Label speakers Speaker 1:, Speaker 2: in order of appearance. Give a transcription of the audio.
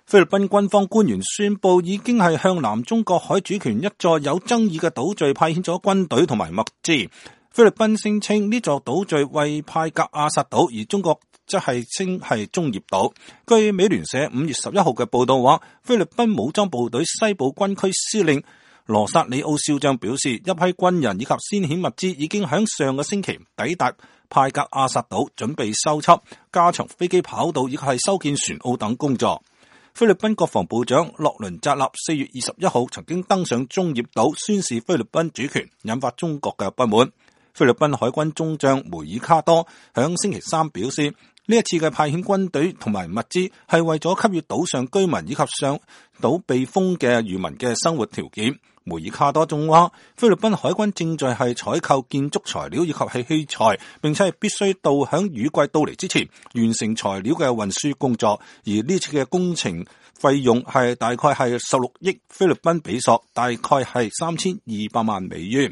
Speaker 1: 菲律賓軍方官員宣布，已經係向南中國海主權一座有爭議嘅島嶼派遣咗軍隊同埋物資。菲律賓聲稱呢座島嶼為派格亞薩島，而中國則係稱係中業島。據美聯社5月11號嘅報道話，菲律賓武裝部隊西部軍區司令羅薩里奧少將表示，一批軍人以及先遣物資已經喺上個星期抵達派格亞薩島，準備修葺、加長飛機跑道以及係修建船澳等工作。菲律賓國防部長洛倫扎納4月21號曾經登上中業島宣示菲律賓主權，引發中國嘅不滿。菲律賓海軍中將梅爾卡多響星期三表示，呢一次嘅派遣軍隊同埋物資係為咗給予島上居民以及上島避風嘅漁民嘅生活條件。梅爾卡多仲話，菲律賓海軍正在係採購建築材料以及係器材，並且係必須到響雨季到嚟之前完成材料嘅運輸工作。而呢次嘅工程費用係大概係16億菲律賓比索，大概係3200萬美元。